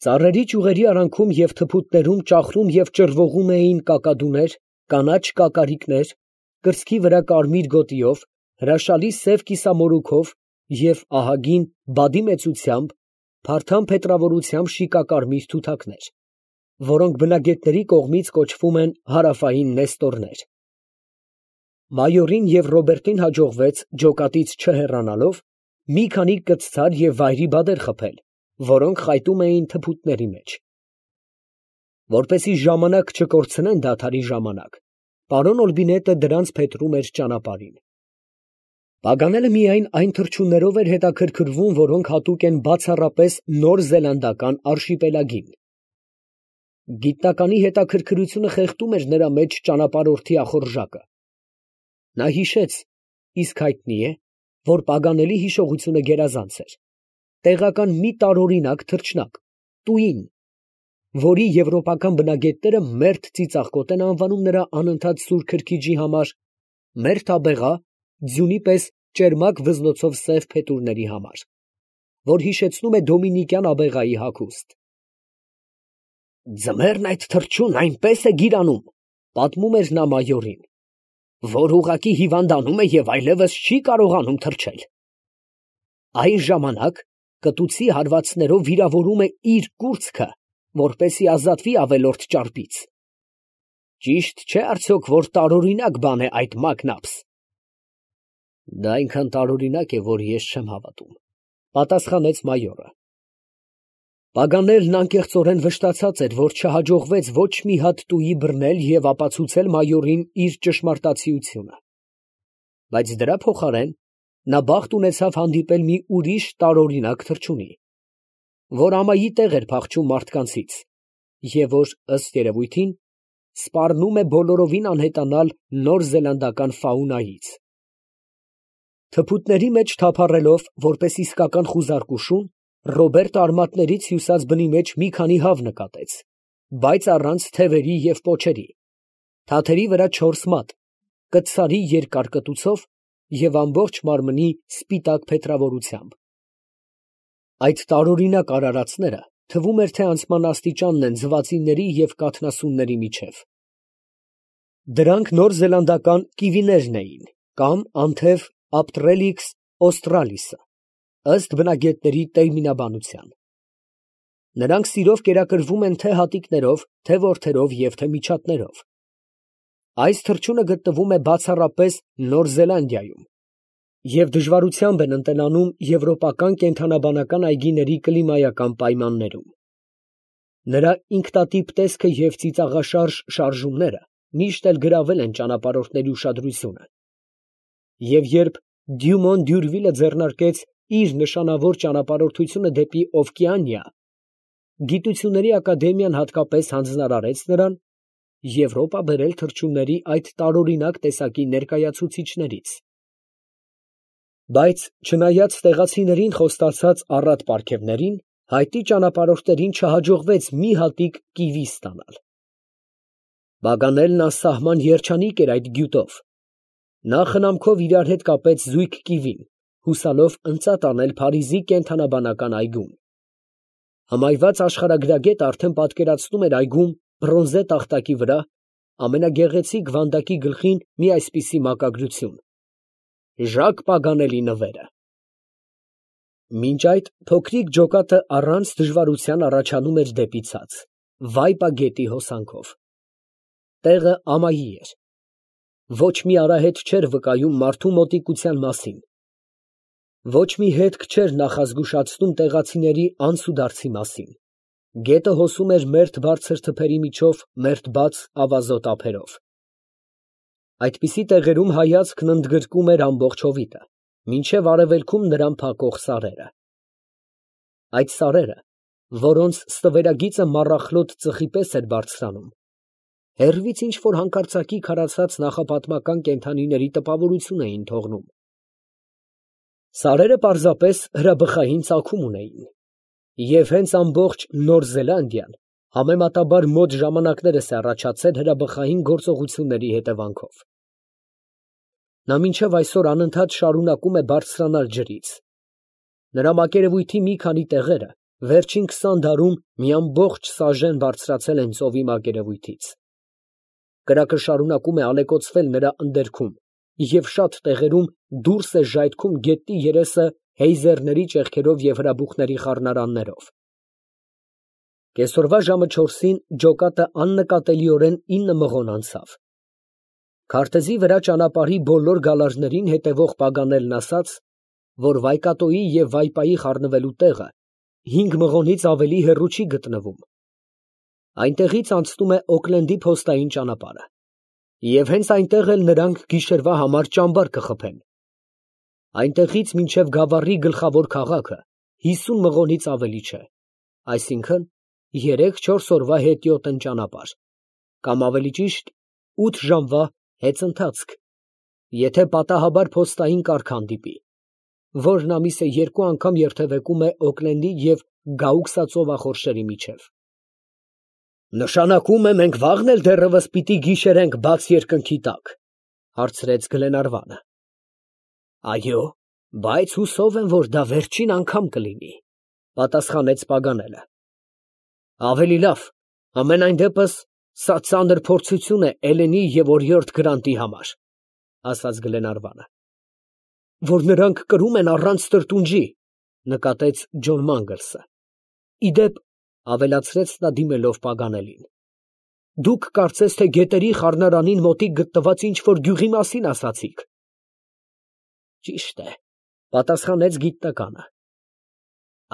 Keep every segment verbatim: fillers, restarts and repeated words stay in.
Ծառերի ճյուղերի արանքում և թփուտներում ճախրում և ճռվողում էին կակադուներ, կանաչ կակարիկներ, կրծքի վրա կարմիր գոտիով, հրաշալի սև կիսամորուքով և ահագին, բադի մեծությամբ, փարթամ փետրավորությամբ շիկակարմիր թութակներ, որոնք բնագետների կողմից կոչվում են հարավային նեստորներ։ Մայորին և Ռոբերտին հաջողվեց, ջոկատից չհեռանալով, մի քանի կցցար և վայրի բադեր խփել, որոնք խայտում էին թփուտների մեջ։ Որպեսզի ժամանակ չկորցնեն դադարի ժամանակ, պարոն Ալբինետը դրանց փետրում էր ճանապարհին։ Պագանելը միայն այն թռչուններով էր հետաքրքրվում, որոնք հատուկ են բացառապես նոր զելանդական արշիպելագին։ Գիտնականի հետաքրքրությունը խեղդում էր նրա մեջ ճանապարհորդի ախորժակը։ Նա հիշեց, իսկ հայտնի է, որ Պագանելի հիշողությունը գերազանց էր, տեղական մի տարօրինակ թռչնակ, տուին, որի եվրոպական բնագետները մերթ ծիծաղկոտ են անվանում նրա անընդհատ սուր քրքիջի համար, մերթ աբեղա, ձյունի պես ճերմակ վզնոցով սև փետուրների համար, որ հիշեցնում է դոմինիկյան աբեղայի հագուստ։ Ձմեռն այդ թռչունն այնպես է գիրանում, պատմում էր նա մայորին, որ ուղղակի հիվանդանում է և այլևս չի կարողանում թռչել։ Այն ժամանակ կտուցի հարվածներով վիրավորում է իր կուրծքը, որպեսզի ազատվի ավելորդ ճարպից։ Ճիշտ չէ՞ արդյոք, որ տարօրինակ բան է այդ մակնաբս։ Դա այնքան տարօրինակ է, որ ես չեմ հավատում, պատասխանեց մայորը։ Պագանելն անկեղծորեն վշտացած էր, որ չհաջողվեց ոչ մի հատ տուի բռնել և ապացուցել մայորին իր ճշմարտացիությունը, բայց դրա փոխարեն նա բախտ ունեցավ հանդիպել մի ուրիշ տարօրինակ թռչունի, որ ամայի տեղ էր փախչում մարդկանցից և որ, ըստ երևույթին, սպառնում է բոլորովին անհետանալ նոր զելանդական ֆաունայից։ Թփուտների մեջ թափառելով, որպես իսկական խուզարկուշուն, Ռոբերտը արմատներից հյուսած բնի մեջ մի քանի հավ նկատեց, բայց առանց թևերի և պոչերի, թաթերի վրա չորս մատ, կտցարի երկար կտուցով և ամբողջ մարմնի սպիտակ փետրավորությամբ։ Այդ տարօրինակ արարածները թվում էր, թե անցման աստիճանն են ձվածիների և կաթնասունների միջև։ Դրանք նոր զելանդական կիվիներն էին կամ անթև Ապտրելիքս օստրալիսը, ըստ բնագետների տերմինաբանության։ Նրանք սիրով կերակրվում են թե հատիկներով, թե որդերով և թե միջատներով։ Այս թռչունը գտնվում է բացառապես Նոր Զելանդիայում և դժվարությամբ են ընտելանում եվրոպական կենդանաբանական այգիների կլիմայական պայմաններում։ Նրա ինքնատիպ տեսքը և ծիծաղաշարժ շարժումները միշտ էլ գրավել են ճանապարհորդների ուշադրությունը, և երբ Դյումոն Դյուրվիլը ձեռնարկեց իր նշանավոր ճանապարհորդությունը դեպի Օվկիանիա, Գիտությունների ակադեմիան հատկապես հանձնարարեց նրան Եվրոպա բերել թռչունների այդ տարօրինակ տեսակի ներկայացուցիչներից։ Բայց չնայած տեղացիներին խոստացած առատ պարգևներին, հայտի ճանապարհորդներին չհաջողվեց մի հատիկ կիվի ստանալ։ Պագանելն անսահման երջանիկ էր այդ գյուտով։ Նա խնամքով իրար հետ կապեց զույգ կիվին, հուսալով ընծատ անել Փարիզի կենդանաբանական այգում։ Հմայված աշխարհագրագետը արդեն պատկերացնում էր այգում բրոնզե տախտակի վրա ամենագեղեցիկ վանդակի գլխին մի այսպիսի մակագրություն. Ժակ Պագանելի նվերը։ Մինչ այդ փոքրիկ ջոկատը առանց դժվարության առաջանում էր դեպի ցած, Վայպա գետի հոսանքով։ Տեղը ամայի էր։ Ոչ մի արահետ չէր վկայում մարդու մոտիկության մասին։ Ոչ մի հետք չէր նախազգուշացնում տեղացիների անցուդարձի մասին։ Գետը հոսում էր մերթ բարձր թփերի միջով մերթ բաց ավազոտ ափերով։ Այդպիսի տեղերում հայացքն ընդգրկում էր ամբողջ հովիտը, մինչև արևելքում նրան փակող սարերը։ Այդ սարերը, որոնց ստվերագիծը մառախլոտ ծխի պես էր բարձրանում, հեռվից ինչ֊որ հանկարծակի քարացած նախապատմական կենդանիների տպավորություն էին թողնում։ Սարերը պարզապես հրաբխային ծագում ունեին, և հենց ամբողջ Նոր Զելանդիան համեմատաբար մոտ ժամանակներս է առաջացել հրաբխային գործողությունների հետևանքով։ Նա մինչև այսօր անընդհատ շարունակում է բարձրանալ ջրից։ Նրա մակերևույթի մի քանի տեղերը վերջին քսան դարում մի ամբողջ սաժեն բարձրացել են ծովի մակերևույթից։ Կրակը շարունակում է ալեկոծվել նրա ընդերքում և շատ տեղերում դուրս է ժայթքում գետնի երեսը հեյզերների ճեղքերով և հրաբուխների խառնարաններով։ Կեսօրվա ժամը չորսին ջոկատը աննկատելիորեն ինը մղոն անցավ։ Քարտեզի վրա ճանապարհի բոլոր գալարներին հետևող Պագանելն ասաց, որ Վայկատոյի և Վայպայի խառնվելու տեղը հինգ մղոնից ավելի հեռու չի գտնվում։ Այնտեղից անցնում է Օքլենդի փոստային ճանապարհը, և հենց այնտեղ էլ նրանք գիշերվա համար ճամբար կխփեն։ Այնտեղից մինչև Գավառի գլխավոր քաղաքը հիսուն մղոնից ավելի չէ, այսինքն երեք֊չորս օրվա հետիոտն ճանապարհ, կամ ավելի ճիշտ ութ ժամվա հեծընթացք, եթե պատահաբար փոստային կառք հանդիպի, որն ամիսը երկու անգամ երթևեկում է Օքլենդի և Գաուքսա ծովախորշերի միջև։ Նշանակում է մենք վաղն էլ դեռևս պիտի գիշերենք բաց երկնքի տակ, հարցրեց Գլենարվանը։ Այո, բայց հուսով եմ, որ դա վերջին անգամ կլինի, պատասխանեց Պագանելը։ Ավելի լավ, համենայն դեպս սա ծանր փորձություն է Էլենի և օրիորդ Գրանտի համար, ասաց Գլենարվանը։ Որ նրանք կրում են առանց տրտունջի, նկատեց Ջոն Մանգլսը։ Իդեպ, ավելացրեց նա դիմելով Պագանելին, դուք կարծես թե գետերի խառնարանին մոտիկ գտնված ինչ֊որ գյուղի մասին ասացիք։ Ճիշտ է, պատասխանեց գիտնականը։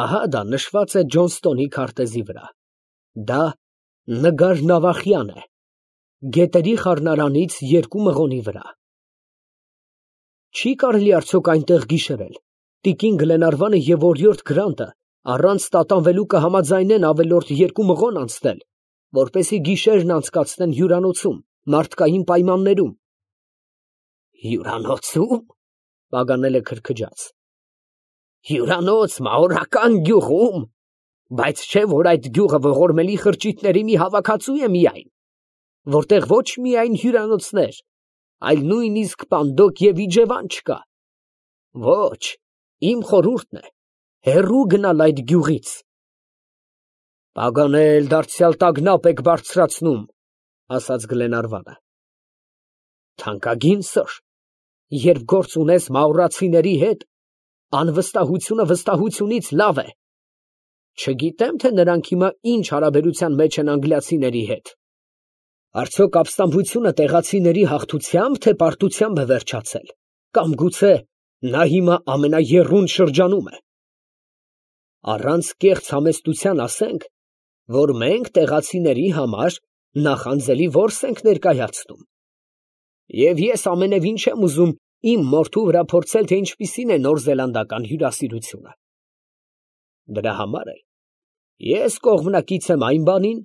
Ահա դա նշված է Ջոնստոնի քարտեզի վրա։ Դա Նգար Նավախյան է, գետերի խառնարանից երկու մղոնի վրա։ Չի կարելի արդյոք այնտեղ գիշերել։ Տիկին Գլենարվանը և օրիորդ Գրանտը առանց տատանվելու կհամաձայնեն ավելորդ երկու մղոն անցնել, որպեսզի գիշերն անցկացնեն հյուրանոցում, մարդկային պայմաններում։ Հյուրանոցո՞ւմ, Պագանելը քրքջաց։ Հյուրանոց մաորական գյուղում, բայց չէ՞ որ այդ գյուղը ողորմելի խրճիթների մի հավաքածու է միայն, որտեղ ոչ միայն հյուրանոցներ, այլ նույնիսկ պանդոկ և իջևան չկա։ Ոչ, իմ խորհուրդն է հեռու գնալ այդ գյուղից։ Պագանել, դարձյալ տագնապ եք բարձրացնում, ասաց Գլենարվանը։ Թանկագին սըր, երբ գործ ունես մաուրացիների հետ, անվստահությունը վստահությունից լավ է։ Չգիտեմ, թե նրանք հիմա ինչ հարաբերության մեջ են անգլիացիների հետ։ Արդյոք ապստամբությունը տեղացիների հաղթությամբ, թե պարտությամբ է վերջացել, կամ գուցե նա հիմա ամենաեռուն շրջանում է։ Առանց կեղծ համեստության ասենք, որ մենք տեղացիների համար նախանձելի որս ենք ներկայացնում։ Եվ ես ամենևին չեմ ուզում իմ մորթու վրա փորձել, թե ինչպիսին է նորզելանդական հյուրասիրությունը։ Դրա համար էլ ես կողմնակից եմ այն բանին,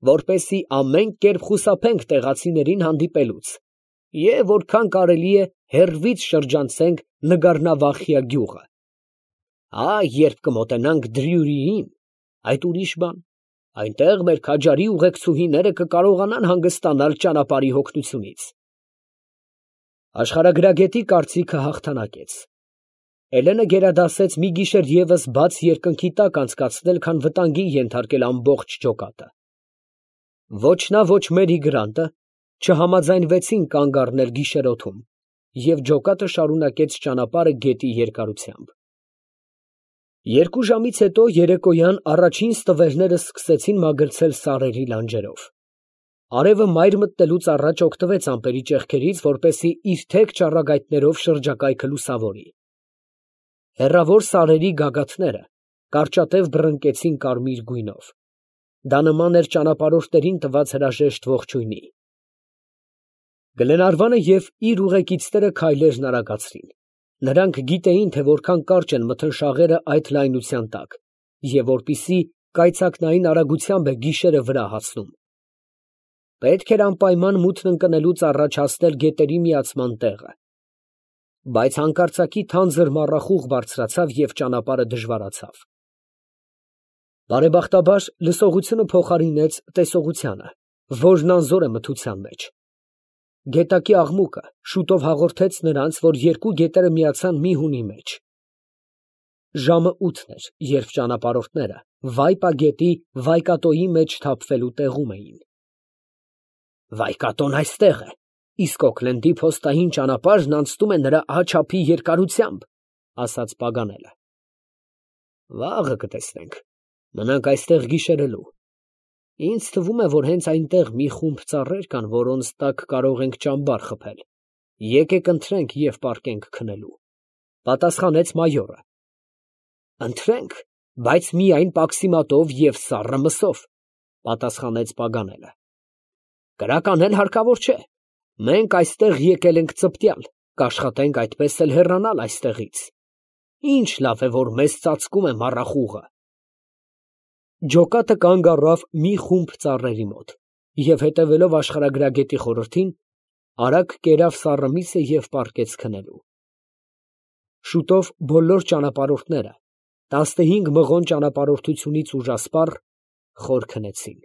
որպեսզի ամեն կերպ խուսափենք տեղացիներին հանդիպելուց և որքան կարելի է հեռվից շրջանցենք Նգարնավախյա գյուղը։ Ա, երբ կմոտենանք Դրյուրիին, այդ ուրիշ բան, այնտեղ մեր քաջարի ուղեկցուհիները կկարողանան հանգստանալ ճանապարհի հոգնությունից։ Աշխարհագրագետի կարծիքը հաղթանակեց։ Էլենը գերադասեց մի գիշեր ևս բաց երկնքի տակ անցկացնել, քան վտանգի ենթարկել ամբողջ ջոկատը։ Ոչ նա, ոչ Մերի Գրանտը չհամաձայնվեցին կանգ առնել գիշերօթում, և ջոկատը շարունակեց ճանապարհը գետի երկարությամբ։ Երկու ժամից հետո երեկոյան առաջին ստվերները սկսեցին մագլցել սարերի լանջերով։ Արևը մայր մտնելուց առաջ օգտվեց ամպերի ճեղքերից, որպեսզի իր թեք ճառագայթներով շրջակայքը լուսավորի։ Հեռավոր սարերի գագաթները կարճատև բռնկեցին կարմիր գույնով։ Դա նման էր ճանապարհորդներին տված հրաժեշտ ողջույնի։ Գլենարվանը և իր ուղեկիցները քայլերն արագացրին։ Նրանք գիտեին, թե որքան կարճ են մթնշաղերը այդ լայնության տակ, և որպիսի կայծակնային արագությամբ է գիշերը վրա հասնում։ Պետք էր անպայման մութն ընկնելուց առաջ հասնել գետերի միացման տեղը։ Բայց հանկարծակի թանձր մառախուղ բարձրացավ և ճանապարհը դժվարացավ։ Բարեբախտաբար լսողությունը փոխարինեց տեսողությանը, որն անզոր է մթության մեջ։ Գետակի աղմուկը շուտով հաղորդեց նրանց, որ երկու գետերը միացան մի հունի մեջ։ Ժամը ութն էր, երբ ճանապարհորդները Վայպա գետի Վայկատոյի մեջ թափվելու տեղում էին։ Վայկատոն այստեղ է, իսկ Օքլենդի փոստային ճանապարհն անցնում է նրա աջափի երկարությամբ, ասաց Պագանելը։ Վաղը կտեսնենք, մնանք այստեղ գիշերելու։ Ինձ թվում է, որ հենց այնտեղ մի խումբ ծառեր կան, որոնց տակ կարող ենք ճամբար խփել։ Եկեք ընթրենք և պառկենք քնելու, պատասխանեց մայորը։ Ընթրենք, բայց միայն պաքսիմատով և սառը մսով, պատասխանեց Պագանելը։ Կրակ անել հարկավոր չէ։ Մենք այստեղ եկել ենք ծպտյալ, կաշխատենք այդպես էլ հեռանալ այստեղից։ Ինչ լավ է, որ մեզ ծածկում է մառախուղը։ Ջոկատը կանգ առավ մի խումբ ծառերի մոտ և, հետևելով աշխարհագրագետի խորհրդին, արագ կերավ սառը միսը և պառկեց քնելու։ Շուտով բոլոր ճանապարհորդները, տասնհինգ մղոն ճանապարհորդությունից ուժասպառ, խոր քնեցին։